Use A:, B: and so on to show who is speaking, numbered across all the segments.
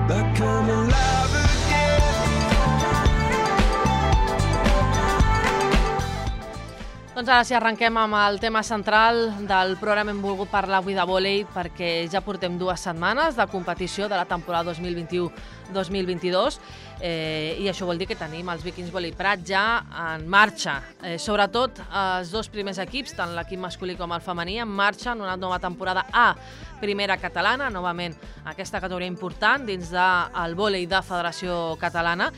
A: like I'm alive again.
B: Doncs ara sí, arrenquem amb el tema central del programa. Hem volgut parlar avui de vòlei perquè ja portem 2 setmanes de competició de la temporada 2021-2022 i això vol dir que tenim els Vikings Vòlei Prat ja en marxa. Sobretot els 2 primers equips, tant l'equip masculí com el femení, en marxa en una nova temporada a Primera Catalana, novament aquesta categoria important dins del vòlei de Federació Catalana,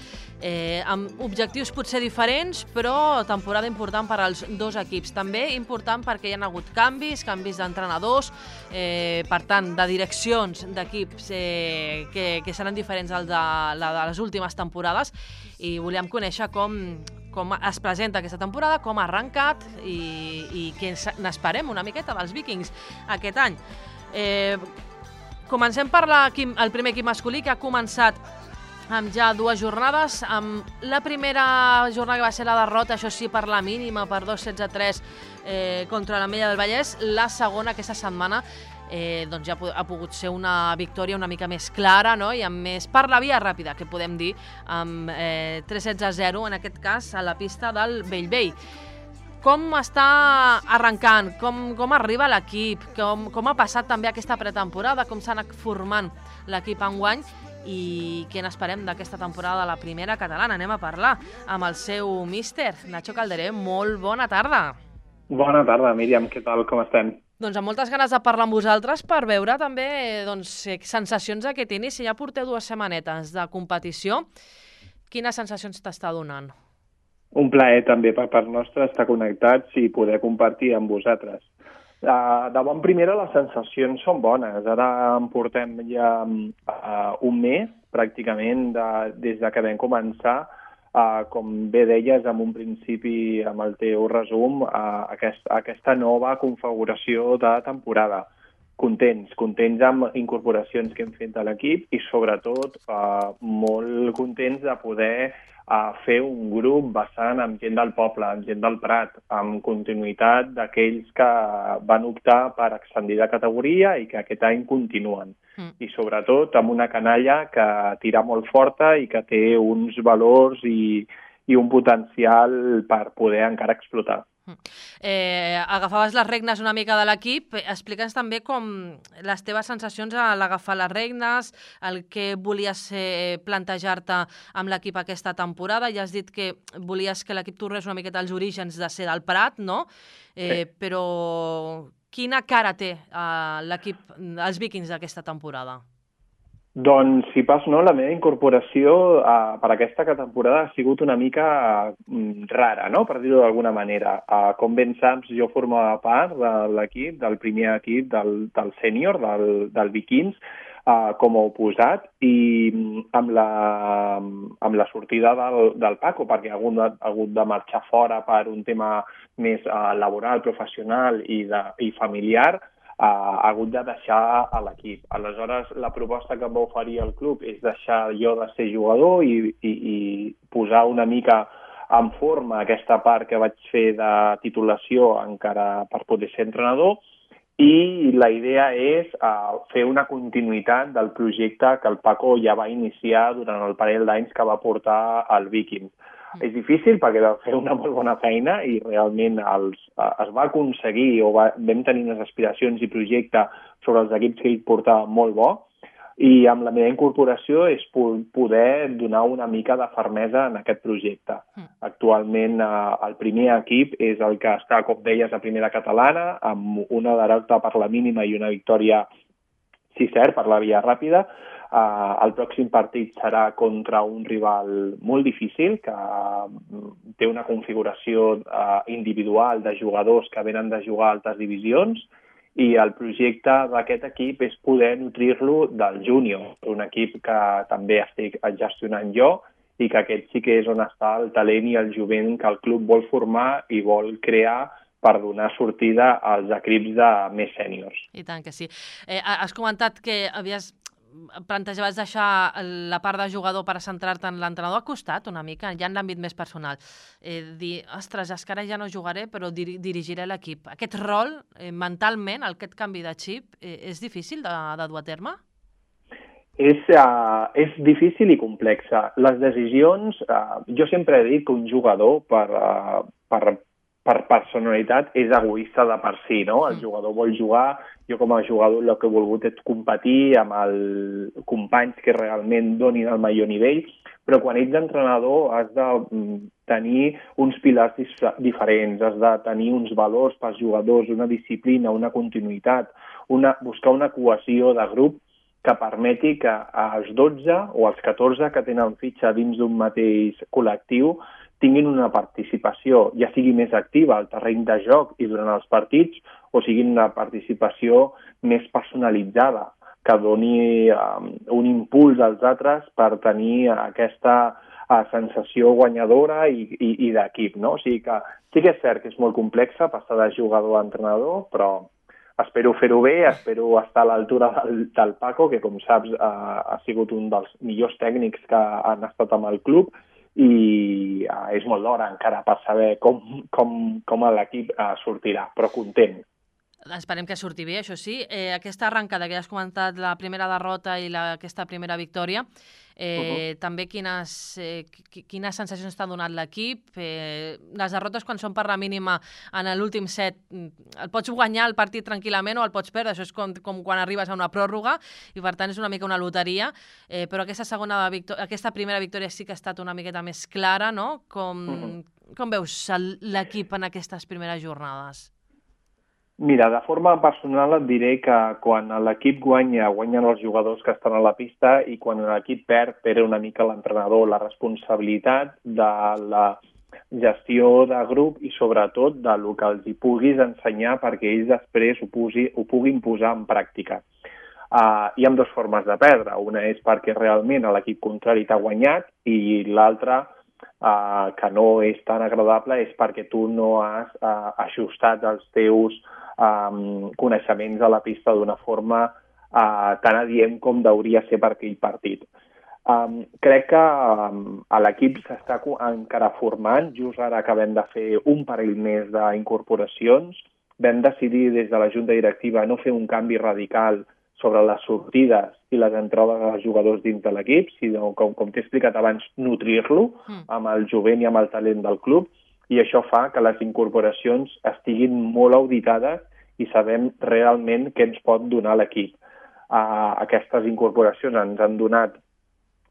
B: amb objectius potser diferents, però temporada important per als 2 equips. També important perquè hi ha hagut canvis d'entrenadors, per tant, de direccions d'equips que seran diferents al de les últimes temporades, i volíem conèixer com es presenta aquesta temporada, com ha arrencat i què n'esperem una miqueta dels Vikings aquest any. Comencem per el primer equip masculí, que ha començat amb ja 2 jornades. Amb la primera jornada, que va ser la derrota, això sí, per la mínima, per 2-16-3 contra l'Ametlla del Vallès. La segona, aquesta setmana, doncs ja ha pogut ser una victòria una mica més clara, no? I amb més per la via ràpida, que podem dir, amb 3-16-0, en aquest cas, a la pista del Bellvei. Com està arrencant? Com arriba l'equip? Com ha passat també aquesta pretemporada? Com s'ha anat formant l'equip enguany? I què n'esperem d'aquesta temporada de la Primera Catalana? Anem a parlar amb el seu míster, Nacho Calderé. Molt bona tarda.
C: Bona tarda, Míriam. Què tal? Com estem?
B: Doncs amb moltes ganes de parlar amb vosaltres per veure també sensacions d'aquest inici. Ja porteu 2 setmanetes de competició. Quines sensacions t'està donant?
C: Un plaer també per part nostra estar connectats i poder compartir amb vosaltres. De bon primera, les sensacions són bones. Ara en portem ja un mes, pràcticament, des que vam començar, com bé deies, en un principi, amb el teu resum, aquesta nova configuració de temporada. Contents amb incorporacions que hem fet a l'equip i, sobretot, molt contents de poder fer un grup basant amb gent del poble, amb gent del Prat, amb continuïtat d'aquells que van optar per ascendir de categoria i que aquest any continuen. I, sobretot, amb una canalla que tira molt forta i que té uns valors i un potencial per poder encara explotar.
B: Agafaves les regnes una mica de l'equip. Explica'ns també com les teves sensacions a l'agafar les regnes, el que volies plantejar-te amb l'equip aquesta temporada. Ja has dit que volies que l'equip tornés una miqueta als orígens de ser del Prat, no?
C: Sí.
B: Però quina cara té l'equip, els Vikings, d'aquesta temporada?
C: Doncs, si pas no, la meva incorporació per aquesta temporada ha sigut una mica rara, no?, per dir-ho d'alguna manera. Com ben saps, jo formava part de l'equip, del primer equip del sènior, del Vikings, com a oposat, i amb la sortida del Paco, perquè ha hagut de marxar fora per un tema més laboral, professional i familiar, ha hagut de deixar a l'equip. Aleshores, la proposta que em va oferir el club és deixar jo de ser jugador i posar una mica en forma aquesta part que vaig fer de titulació encara per poder ser entrenador, i la idea és fer una continuïtat del projecte que el Paco ja va iniciar durant el parell d'anys que va portar al Vikings. És difícil perquè va fer una molt bona feina i realment es va aconseguir o vam tenir unes aspiracions i projecte sobre els equips que ell portava molt bo, i amb la meva incorporació és poder donar una mica de fermesa en aquest projecte. Actualment el primer equip és el que està, com deies, a Primera Catalana, amb una derrota per la mínima i una victòria, sí cert, per la via ràpida. El pròxim partit serà contra un rival molt difícil, que té una configuració individual de jugadors que venen de jugar a altes divisions, i el projecte d'aquest equip és poder nutrir-lo del júnior, un equip que també estic gestionant jo, i que aquest sí que és on està el talent i el jovent que el club vol formar i vol crear per donar sortida als equips de més sèniors.
B: I tant que sí. Has comentat que plantejaves deixar la part de jugador per centrar-te en l'entrenador. Ha costat una mica, ja en l'àmbit més personal, dir, ostres, és que ara ja no jugaré, però dirigiré l'equip. Aquest rol, mentalment, aquest canvi de xip, és difícil de dur a terme?
C: És difícil i complexa. Les decisions, jo sempre he dit que un jugador per personalitat és egoista de per si, no? El jugador vol jugar, jo com a jugador el que he volgut és competir amb els companys que realment donin el millor nivell, però quan ets entrenador has de tenir uns pilars diferents, has de tenir uns valors pels jugadors, una disciplina, una continuïtat, buscar una cohesió de grup que permeti que els 12 o els 14 que tenen fitxa dins d'un mateix col·lectiu tinguin una participació, ja sigui més activa al terreny de joc i durant els partits, o sigui una participació més personalitzada, que doni un impuls als altres per tenir aquesta sensació guanyadora i d'equip, no? O sigui que sí que és cert que és molt complexa passar de jugador a entrenador, però espero fer-ho bé, espero estar a l'altura del Paco, que com saps ha sigut un dels millors tècnics que han estat amb el club, i és molt d'hora encara per saber com l'equip sortirà, però content.
B: Esperem que surti bé, això sí. Aquesta arrencada que ja has comentat, la primera derrota i aquesta primera victòria, també quines sensacions t'ha donat l'equip? Les derrotes, quan són per la mínima en l'últim set, el pots guanyar el partit tranquil·lament o el pots perdre, això és com quan arribes a una pròrroga i per tant és una mica una loteria, però aquesta primera victòria sí que ha estat una miqueta més clara, no? Com veus l'equip en aquestes primeres jornades?
C: Mira, de forma personal et diré que quan l'equip guanya, guanyen els jugadors que estan a la pista, i quan l'equip perd una mica l'entrenador, la responsabilitat de la gestió de grup i sobretot del que els hi puguis ensenyar perquè ells després ho puguin posar en pràctica. Hi ha dues formes de perdre. Una és perquè realment l'equip contrari t'ha guanyat i l'altra, que no és tan agradable, és perquè tu no has ajustat els teus coneixements a la pista d'una forma tan adient com hauria ser per aquell partit. Crec que l'equip s'està encara formant. Just ara acabem de fer un parell més d'incorporacions. Vam decidir des de la Junta Directiva no fer un canvi radical sobre les sortides i les entrades dels jugadors dins de l'equip, sinó, com t'he explicat abans, nutrir-lo amb el jovent i amb el talent del club, i això fa que les incorporacions estiguin molt auditades i sabem realment què ens pot donar l'equip. Aquestes incorporacions ens han donat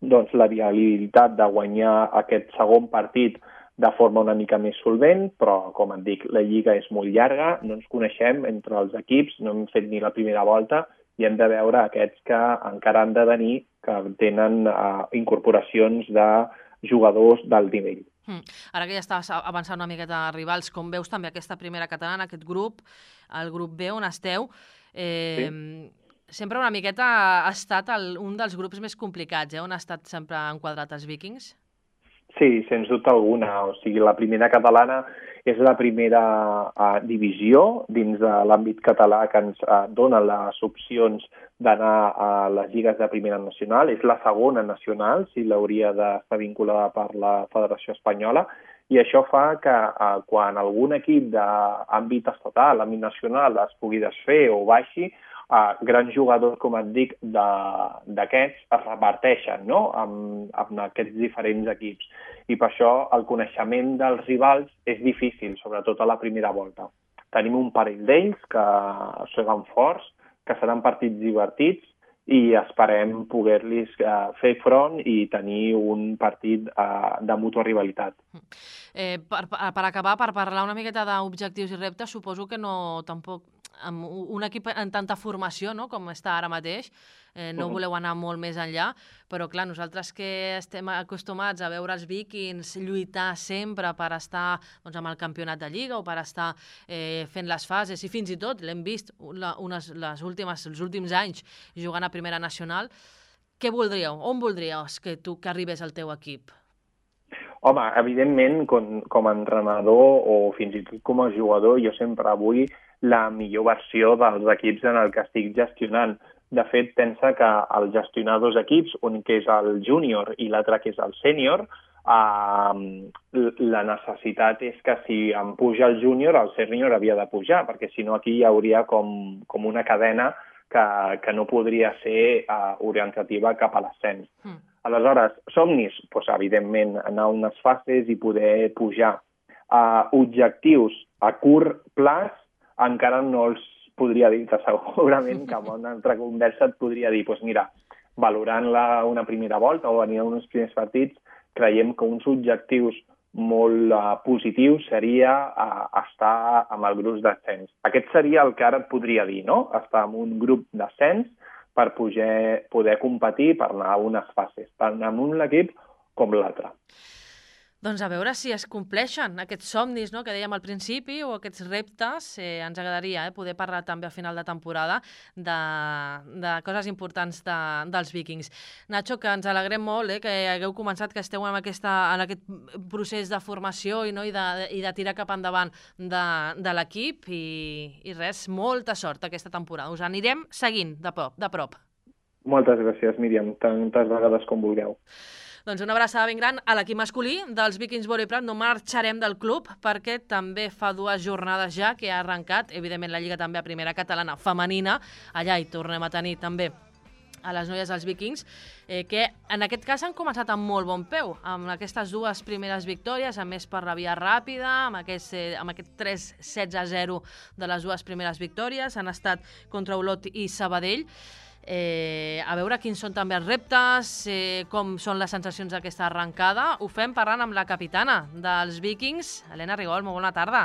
C: la viabilitat de guanyar aquest segon partit de forma una mica més solvent, però, com et dic, la lliga és molt llarga, no ens coneixem entre els equips, no hem fet ni la primera volta, i hem de veure aquests que encara han de venir, que tenen incorporacions de jugadors d'alt nivell.
B: Ara que ja estàs avançant una miqueta a rivals, com veus també aquesta primera catalana, aquest grup, el grup B on esteu, sempre una miqueta ha estat un dels grups més complicats, on ha estat sempre enquadrat els Vikings?
C: Sí, sens dubte alguna. O sigui, la primera catalana és la primera divisió dins de l'àmbit català que ens dona les opcions d'anar a les lligues de primera nacional. És la segona nacional, si l'hauria d'estar vinculada per la Federació Espanyola, i això fa que quan algun equip d'àmbit estatal, àmbit nacional, es pugui desfer o baixi, grans jugadors, com et dic, d'aquests es reparteixen, no?, amb aquests diferents equips. I per això el coneixement dels rivals és difícil, sobretot a la primera volta. Tenim un parell d'ells que seran forts, que seran partits divertits, i esperem poder-los fer front i tenir un partit de mútua rivalitat.
B: Per acabar, per parlar una miqueta d'objectius i reptes, suposo que no tampoc amb un equip en tanta formació, no?, com està ara mateix, no voleu anar molt més enllà, però clar, nosaltres que estem acostumats a veure els Vikings lluitar sempre per estar amb el campionat de Lliga o per estar fent les fases, i fins i tot l'hem vist els últims anys jugant a Primera Nacional, què voldríeu? On voldríeu que arribés el teu equip?
C: Home, evidentment, com a entrenador o fins i tot com a jugador, jo sempre vull la millor versió dels equips en el que estic gestionant. De fet, pensa que al gestionar dos equips, un que és el júnior i l'altre que és el sènior, la necessitat és que si em puja el júnior, el sènior havia de pujar, perquè si no aquí hi hauria com una cadena que no podria ser orientativa cap a l'ascens. Aleshores, somnis, doncs, evidentment, anar a unes fases i poder pujar. Objectius a curt plaç encara no els podria dir, que segurament que en una altra conversa et podria dir, doncs mira, valorant una primera volta o venint a uns primers partits, creiem que uns objectius molt positius seria estar amb el grup d'ascens. Aquest seria el que ara et podria dir, no? Estar en un grup d'ascens per poder competir, per anar a unes fases, tant amb un equip com l'altre.
B: Doncs a veure si es compleixen aquests somnis, no?, que dèiem al principi, o aquests reptes. Ens agradaria poder parlar també a final de temporada de coses importants dels Vikings. Nacho, que ens alegrem molt que hagueu començat, que esteu en aquest procés de formació i de tirar cap endavant de l'equip, i res, molta sort aquesta temporada. Us anirem seguint de prop.
C: Moltes gràcies, Míriam, tantes vegades com vulgueu.
B: Doncs una abraçada ben gran a l'equip masculí dels Vikings Vòlei Prat. No marxarem del club perquè també fa 2 jornades ja que ha arrencat, evidentment, la Lliga també a primera catalana femenina. Allà hi tornem a tenir també a les noies dels Vikings, que en aquest cas han començat amb molt bon peu, amb aquestes 2 primeres victòries, a més per la via ràpida, amb aquest 3-16-0 de les 2 primeres victòries. Han estat contra Olot i Sabadell. A veure quins són també els reptes, com són les sensacions d'aquesta arrencada. Ho fem parlant amb la capitana dels Vikings, Helena Rigol. Molt bona tarda.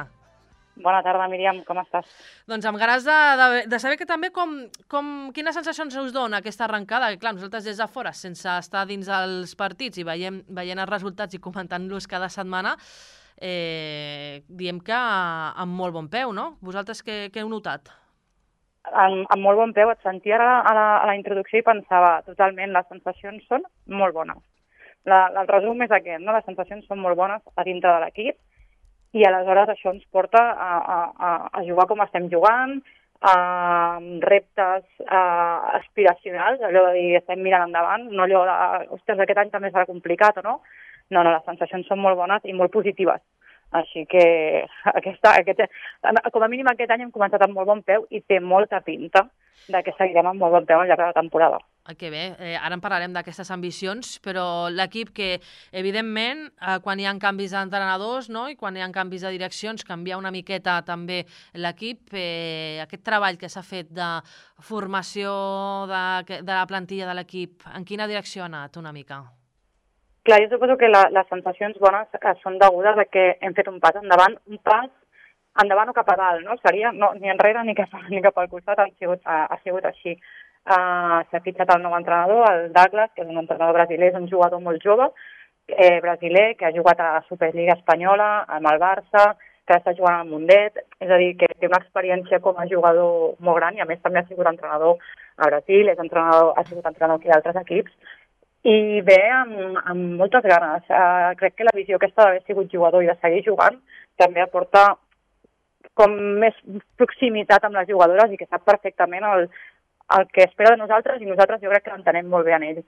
D: Bona tarda, Míriam, com estàs?
B: Doncs amb ganes de saber que també quines sensacions us dona aquesta arrencada. Clar, nosaltres des de fora, sense estar dins dels partits i veient els resultats i comentant-los cada setmana, diem que amb molt bon peu, no? Vosaltres què heu notat?
D: Amb molt bon peu, et sentia a la introducció i pensava totalment, les sensacions són molt bones. El resum és aquest, no? Les sensacions són molt bones a dintre de l'equip i aleshores això ens porta a jugar com estem jugant, a reptes aspiracionals, allò de dir estem mirant endavant, no allò de, ostres, aquest any també serà complicat o no? No, les sensacions són molt bones i molt positives. Així que com a mínim aquest any hem començat amb molt bon peu i té molta pinta que seguirem amb molt bon peu al llarg de la temporada.
B: Que bé, ara en parlarem d'aquestes ambicions, però l'equip que, evidentment, quan hi ha canvis d'entrenadors, no?, i quan hi ha canvis de direccions, canvia una miqueta també l'equip. Aquest treball que s'ha fet de formació de la plantilla de l'equip, en quina direcció ha anat una mica?
D: Clar, jo suposo que les sensacions bones són degudes a que hem fet un pas endavant o cap a dalt, no? Seria ni enrere ni cap al costat, ha sigut així. S'ha fitxat el nou entrenador, el Douglas, que és un entrenador brasiler, és un jugador molt jove, brasiler, que ha jugat a la Superliga Espanyola, amb el Barça, que està jugant al Mundet, és a dir, que té una experiència com a jugador molt gran i a més també ha sigut entrenador a Brasil, ha sigut entrenador aquí d'altres equips, i ve amb moltes ganes. Crec que la visió aquesta d'haver sigut jugador i de seguir jugant també aporta com més proximitat amb les jugadores i que sap perfectament el que espera de nosaltres i nosaltres jo crec que l'entenem molt bé en ell.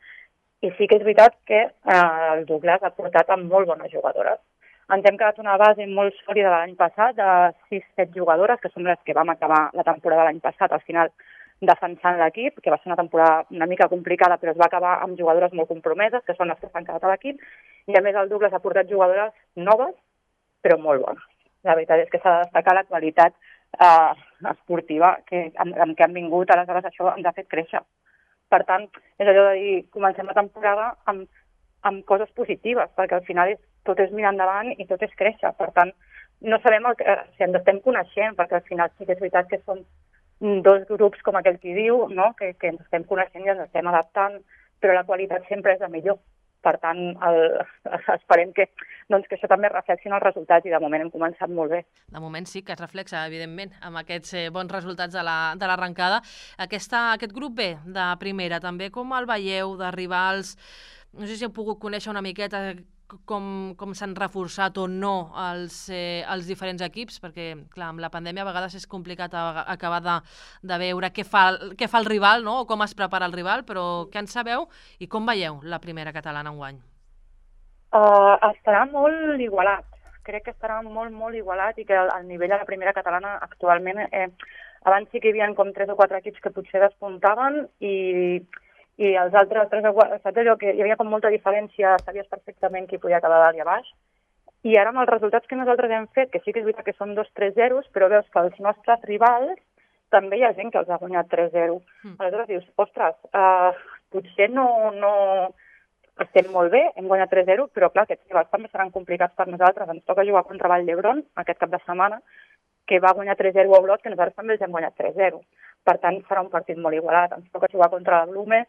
D: I sí que és veritat que el Douglas ha portat amb molt bones jugadores. Ens hem quedat una base molt sòlida de l'any passat, de 6-7 jugadores, que són les que vam acabar la temporada l'any passat, al final defensant l'equip, que va ser una temporada una mica complicada, però es va acabar amb jugadores molt compromeses, que són les que s'han quedat a l'equip, i a més el Douglas ha portat jugadores noves, però molt bones. La veritat és que s'ha de destacar la qualitat esportiva amb què han vingut, aleshores això ens ha fet créixer. Per tant, és allò de dir, comencem la temporada amb coses positives, perquè al final tot és mirar endavant i tot és créixer. Per tant, no sabem si ens estem coneixent, perquè al final sí que és veritat que som 2 grups, com aquell qui diu, no? que ens estem coneixent i ens estem adaptant, però la qualitat sempre és la millor. Per tant, esperem que això també reflexi en els resultats i de moment hem començat molt bé.
B: De moment sí que es reflexa, evidentment, amb aquests bons resultats de l'arrencada. Aquest grup B de primera, també com el veieu, de rivals? No sé si heu pogut conèixer una miqueta com s'han reforçat o no els diferents equips, perquè clar, amb la pandèmia a vegades és complicat acabar de veure què fa el rival, no? O com es prepara el rival, però què en sabeu i com veieu la primera catalana enguany?
D: Estarà molt igualat. Crec que estarà molt, molt igualat i que el nivell de la primera catalana actualment Abans sí que hi havia com 3 o 4 equips que potser despuntaven i els altres 3 o 4, saps allò que hi havia com molta diferència, sabies perfectament qui podia quedar dalt i a baix. I ara amb els resultats que nosaltres hem fet, que sí que és veritat que són 2-3-0, però veus que els nostres rivals també hi ha gent que els ha guanyat 3-0. Aleshores dius, ostres, potser no estem molt bé, hem guanyat 3-0, però clar, aquests rivals també seran complicats per nosaltres. Ens toca jugar contra Vall d'Hebron aquest cap de setmana, que va guanyar 3-0 a Olot, que nosaltres també els hem guanyat 3-0. Per tant, serà un partit molt igualat. Ens toca jugar contra la Blume,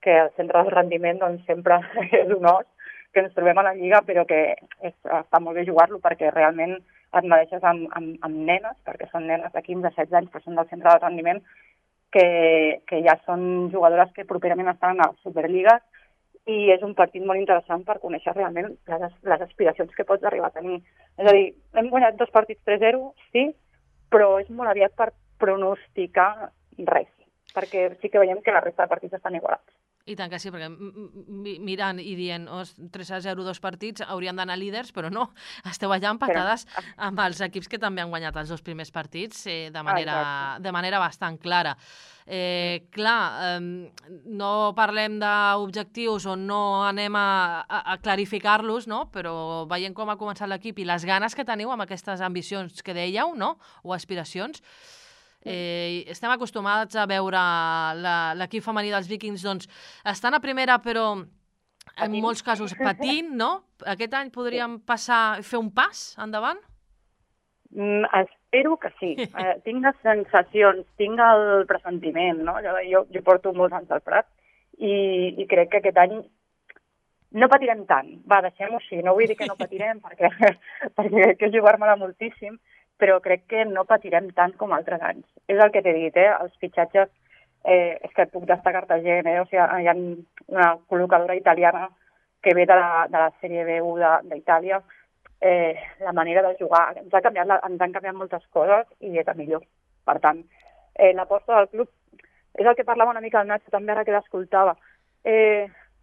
D: que el centre del rendiment doncs, sempre és un os, que ens trobem a la Lliga, però que està molt bé jugar-lo perquè realment et mereixes amb nenes, perquè són nenes de 15-16 anys que són del centre del rendiment, que ja són jugadores que properament estan a Superliga, i és un partit molt interessant per conèixer realment les aspiracions que pots arribar a tenir. És a dir, hem guanyat 2 partits 3-0, sí, però és molt aviat per pronosticar res, perquè sí que veiem que la resta de partits estan igualats.
B: I tant que sí, perquè mirant i dient 3-0, 2 partits, haurien d'anar líders, però no, esteu allà empatades amb els equips que també han guanyat els 2 primers partits de manera bastant clara. Clar, no parlem d'objectius on no anem a clarificar-los, no? Però veient com ha començat l'equip i les ganes que teniu amb aquestes ambicions que dèieu, no? O aspiracions, estem acostumats a veure l'equip femení dels Vikings, doncs, estan a primera però en molts casos patint, no? Aquest any podríem fer un pas endavant?
D: Espero que sí. Tinc les sensacions, tinc el pressentiment, no? Jo porto molts anys al Prat i crec que aquest any no patirem tant. Va, deixem-ho així. No vull dir que no patirem perquè crec que jugar-me-la moltíssim, però crec que no patirem tant com altres anys. És el que t'he dit, els fitxatges, és que puc destacar-te gent, o sigui, hi ha una col·locadora italiana que ve de la Sèrie B1 d'Itàlia, la manera de jugar, ens han canviat moltes coses i és el millor. Per tant, l'aposta del club, és el que parlava una mica el Nacho també ara que l'escoltava,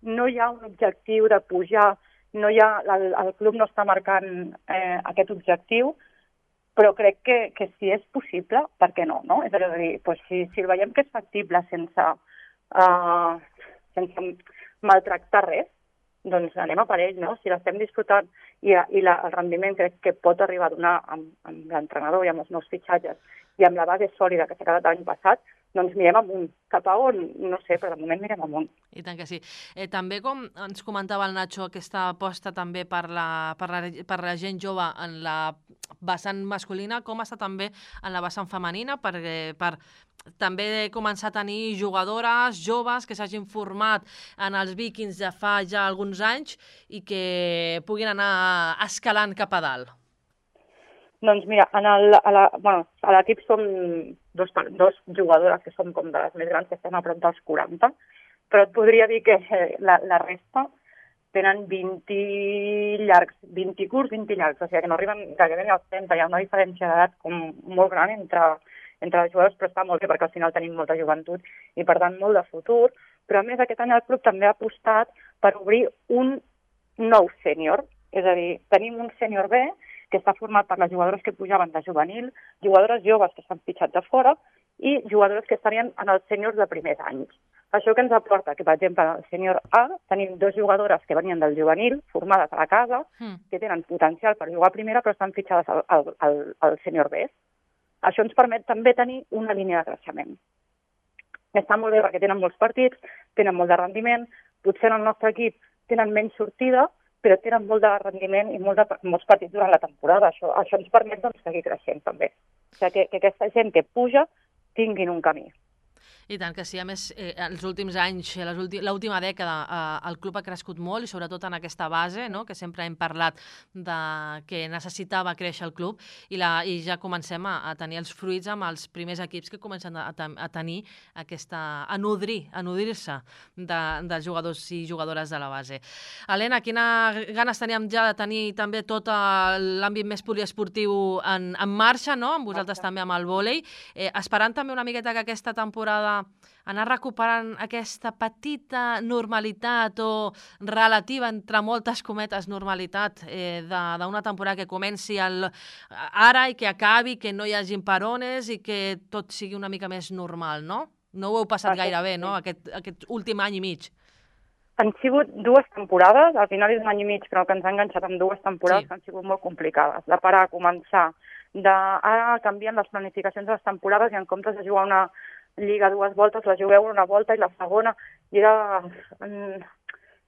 D: no hi ha un objectiu de pujar, el club no està marcant aquest objectiu, però crec que si és possible, per què no? És a dir, si el veiem que és factible sense maltractar res, doncs anem a per ell, no? Si l'estem disfrutant i el rendiment crec que pot arribar a donar amb l'entrenador i amb els nous fitxatges i amb la base sòlida que s'ha quedat l'any passat, doncs mirem amunt. Cap a on? No sé, però de moment mirem amunt.
B: I tant que sí. També, com ens comentava el Nacho, aquesta aposta també per la gent jove en la vessant masculina, com està també en la vessant femenina, per també començar a tenir jugadores joves que s'hagin format en els Vikings de fa ja alguns anys i que puguin anar escalant cap a dalt.
D: Doncs mira, a l'equip som dos jugadores que som com de les més grans, que estem a prop dels 40, però et podria dir que la resta tenen 20 llargs, 20 curts, 20 llargs, o sigui que no arriben gairebé als 30, hi ha una diferència d'edat com molt gran entre les jugadors, però està molt bé perquè al final tenim molta joventut i per tant molt de futur, però a més aquest any el club també ha apostat per obrir un nou sènior, és a dir, tenim un sènior B que està format per les jugadores que pujaven de juvenil, jugadores joves que s'han fitxat de fora i jugadores que estarien en els sèniors de primers anys. Això que ens aporta que, per exemple, al sènior A tenim 2 jugadores que venien del juvenil, formades a la casa, que tenen potencial per jugar a primera però estan fitxades al sènior B. Això ens permet també tenir una línia de creixement. Està molt bé perquè tenen molts partits, tenen molt de rendiment, potser en el nostre equip tenen menys sortida, però tenen molt de rendiment i molts partits durant la temporada. Això ens permet seguir creixent també. O sigui, que aquesta gent que puja tinguin un camí.
B: I tant que sí, a més, els últims anys, l'última dècada, el club ha crescut molt i sobretot en aquesta base, no?, que sempre hem parlat que necessitava créixer el club i ja comencem a tenir els fruits amb els primers equips que comencen a tenir a nodrir-se dels jugadors i jugadores de la base. Helena, quines ganes teníem ja de tenir també tot l'àmbit més poliesportiu en marxa, no?, amb vosaltres també amb el vòlei, esperant també una miqueta que aquesta temporada anar recuperant aquesta petita normalitat o relativa, entre moltes cometes, normalitat d'una temporada que comenci ara i que acabi, que no hi hagi parones i que tot sigui una mica més normal, no? No ho heu passat gaire bé, no?, aquest últim any i mig.
D: Han sigut 2 temporades, al final és un any i mig, però que ens ha enganxat amb 2 temporades que han sigut molt complicades. De parar, començar, ara canvien les planificacions de les temporades i en comptes de jugar una lliga 2 voltes, la jugueu una volta i la segona, i era...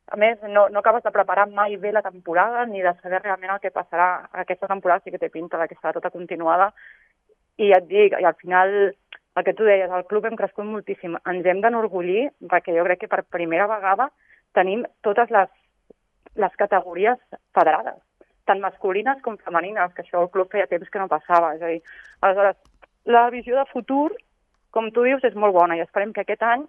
D: A més, no acabes de preparar mai bé la temporada ni de saber realment el que passarà. Aquesta temporada sí que té pinta que serà tota continuada i ja et dic, i al final, el que tu deies, el club hem crescut moltíssim. Ens hem d'enorgullir perquè jo crec que per primera vegada tenim totes les categories federades, tant masculines com femenines, que això el club feia temps que no passava. És a dir, aleshores, la visió de futur, com tu dius, és molt bona i esperem que aquest any,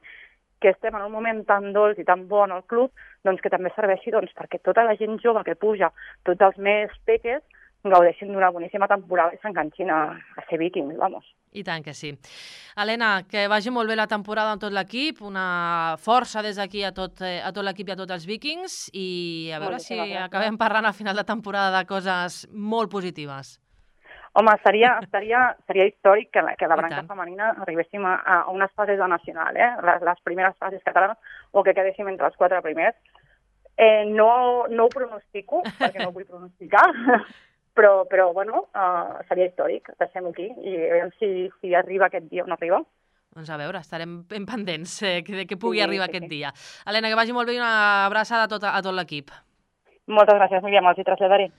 D: que estem en un moment tan dolç i tan bon al club, doncs que també serveixi perquè tota la gent jove que puja, tots els més peques, gaudeixin d'una boníssima temporada i s'enganxin a ser vikings, vamos.
B: I tant que sí. Helena, que vagi molt bé la temporada amb tot l'equip, una força des d'aquí a tot l'equip i a tots els vikings i a veure si acabem parlant al final de temporada de coses molt positives.
D: Home, seria històric que la branca femenina arribéssim a unes fases de nacional, les primeres fases catalanes, o que quedéssim entre els 4 primers. No ho pronostico, perquè no ho vull pronosticar, però bueno, seria històric, deixem-ho aquí, i a veure si arriba aquest dia o no arriba.
B: Doncs a veure, estarem ben pendents que pugui arribar aquest dia. Helena, que vagi molt bé i una abraçada a tot l'equip.
D: Moltes gràcies, Míriam, els hi traslladaré.